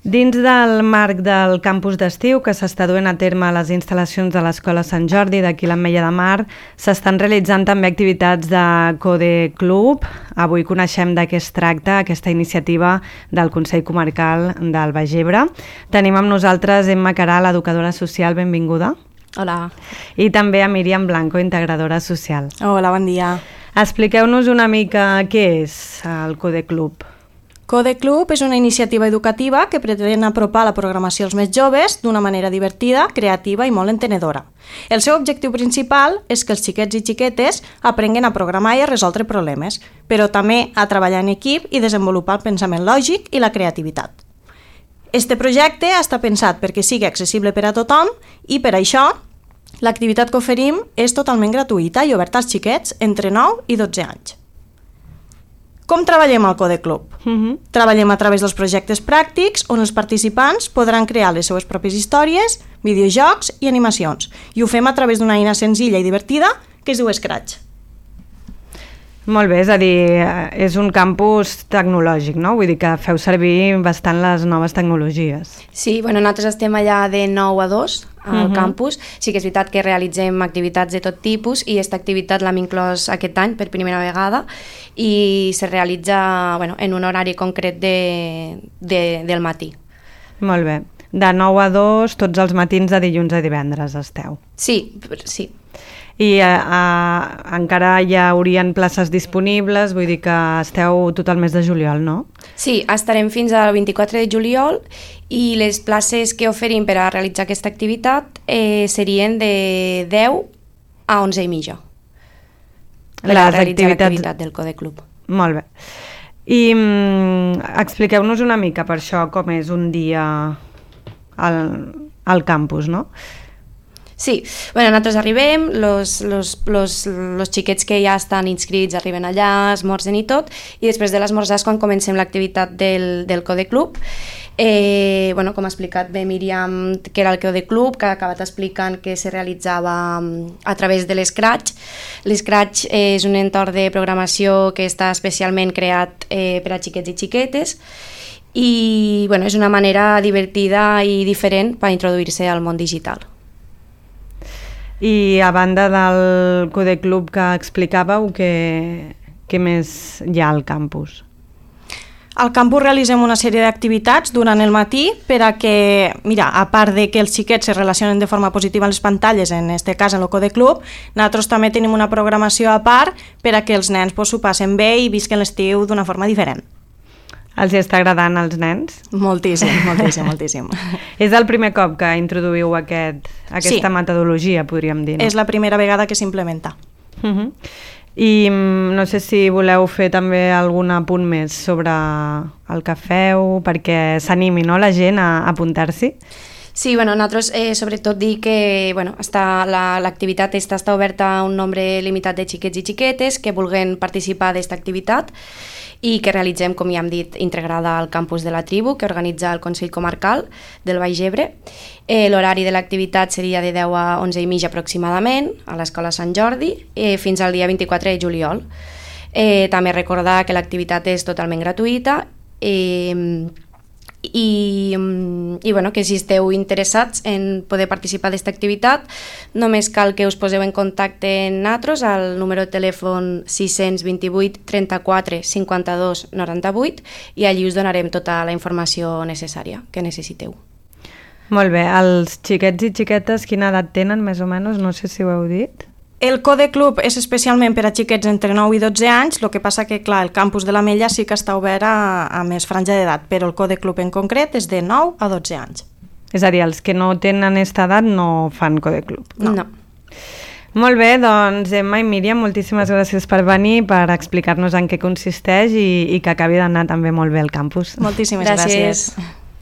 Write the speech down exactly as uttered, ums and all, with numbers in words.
Dins del marc del campus d'estiu que s'està duent a terme a les instal·lacions de l'Escola Sant Jordi d'aquí l'Ametlla de Mar, s'estan realitzant també activitats de Code Club. Avui coneixem de què es tracta aquesta iniciativa del Consell Comarcal del Baix Ebre. Tenim amb nosaltres Emma Caral, educadora social, benvinguda. Hola. I també a Míriam Blanco, integradora social. Hola, bon dia. Expliqueu-nos una mica què és el Code Club. Code Club és una iniciativa educativa que pretén apropar la programació als més joves d'una manera divertida, creativa i molt entenedora. El seu objectiu principal és que els xiquets i xiquetes aprenguen a programar i a resoldre problemes, però també a treballar en equip i desenvolupar el pensament lògic i la creativitat. Este projecte està pensat perquè sigui accessible per a tothom i per això l'activitat que oferim és totalment gratuïta i oberta als xiquets entre nou i dotze anys. Com treballem al Code Club? Uh-huh. Treballem a través dels projectes pràctics on els participants podran crear les seues pròpies històries, videojocs i animacions. I ho fem a través d'una eina senzilla i divertida que es diu Scratch. Molt bé, és a dir, és un campus tecnològic, no? Vull dir que feu servir bastant les noves tecnologies. Sí, bueno, nosaltres estem allà de nou a dos al uh-huh. campus. Sí que és veritat que realitzem activitats de tot tipus i aquesta activitat l'hem inclòs aquest any per primera vegada i se realitza bueno, en un horari concret de, de, del matí. Molt bé. De nou a dos, tots els matins de dilluns a divendres esteu. Sí, sí. I a, a, encara hi haurien places disponibles, vull dir que esteu tot el mes de juliol, no? Sí, estarem fins al vint-i-quatre de juliol i les places que oferim per a realitzar aquesta activitat eh, serien de deu a onze i mitja per les a realitzar activitats... l'activitat del Code Club. Molt bé. I mm, expliqueu-nos una mica per això com és un dia al, al campus, no? Sí, bueno, nosaltres arribem, los, los, los, los xiquets que ja estan inscrits arriben allà, esmorzen i tot, i després de l'esmorzar és quan comencem l'activitat del, del Code Club. Eh, bueno, com ha explicat bé Míriam, que era el Code Club, que ha acabat explicant que se realitzava a través de l'Scratch. L'Scratch és un entorn de programació que està especialment creat eh, per a xiquets i xiquetes, i bueno, és una manera divertida i diferent per introduir-se al món digital. I a banda del Code Club que explicàveu, què, què més hi ha al campus? Al campus realitzem una sèrie d'activitats durant el matí per a que, mira, a part de que els xiquets se relacionen de forma positiva en les pantalles, en aquest cas en el Code Club, nosaltres també tenim una programació a part per a que els nens pues, s'ho passen bé i visquen l'estiu d'una forma diferent. Els està agradant als nens? Moltíssim, moltíssim, moltíssim. És el primer cop que introduïu aquest, aquesta sí. metodologia, podríem dir, no? És la primera vegada que s'implementa. Uh-huh. I no sé si voleu fer també algun apunt més sobre el que feu, perquè s'animi, no, la gent a apuntar-s'hi? Sí, bueno, nosaltres eh, sobretot dir que bueno, està, la, l'activitat està, està oberta a un nombre limitat de xiquets i xiquetes que vulguin participar d'aquesta activitat i que realitzem, com ja hem dit, integrada al campus de la tribu que organitza el Consell Comarcal del Baix Ebre. Eh, l'horari de l'activitat seria de deu a onze i mitja aproximadament a l'Escola Sant Jordi eh, fins al dia vint-i-quatre de juliol. Eh, també recordar que l'activitat és totalment gratuïta eh, i, i bueno, que si esteu interessats en poder participar d'aquesta activitat només cal que us poseu en contacte amb nosaltres al número de telèfon sis dos vuit, trenta-quatre, cinquanta-dos, noranta-vuit i allí us donarem tota la informació necessària que necessiteu. Molt bé, els xiquets i xiquetes quina edat tenen més o menys? No sé si ho heu dit. El Code Club és especialment per a xiquets entre nou i dotze anys, el que passa que, clar, el campus de l'Ametlla sí que està obert a, a més franja d'edat, però el Code Club en concret és de nou a dotze anys. És a dir, els que no tenen aquesta edat no fan Code Club. No. no. Molt bé, doncs Emma i Míriam, moltíssimes gràcies per venir, per explicar-nos en què consisteix i, i que acabi d'anar també molt bé el campus. Moltíssimes gràcies. gràcies.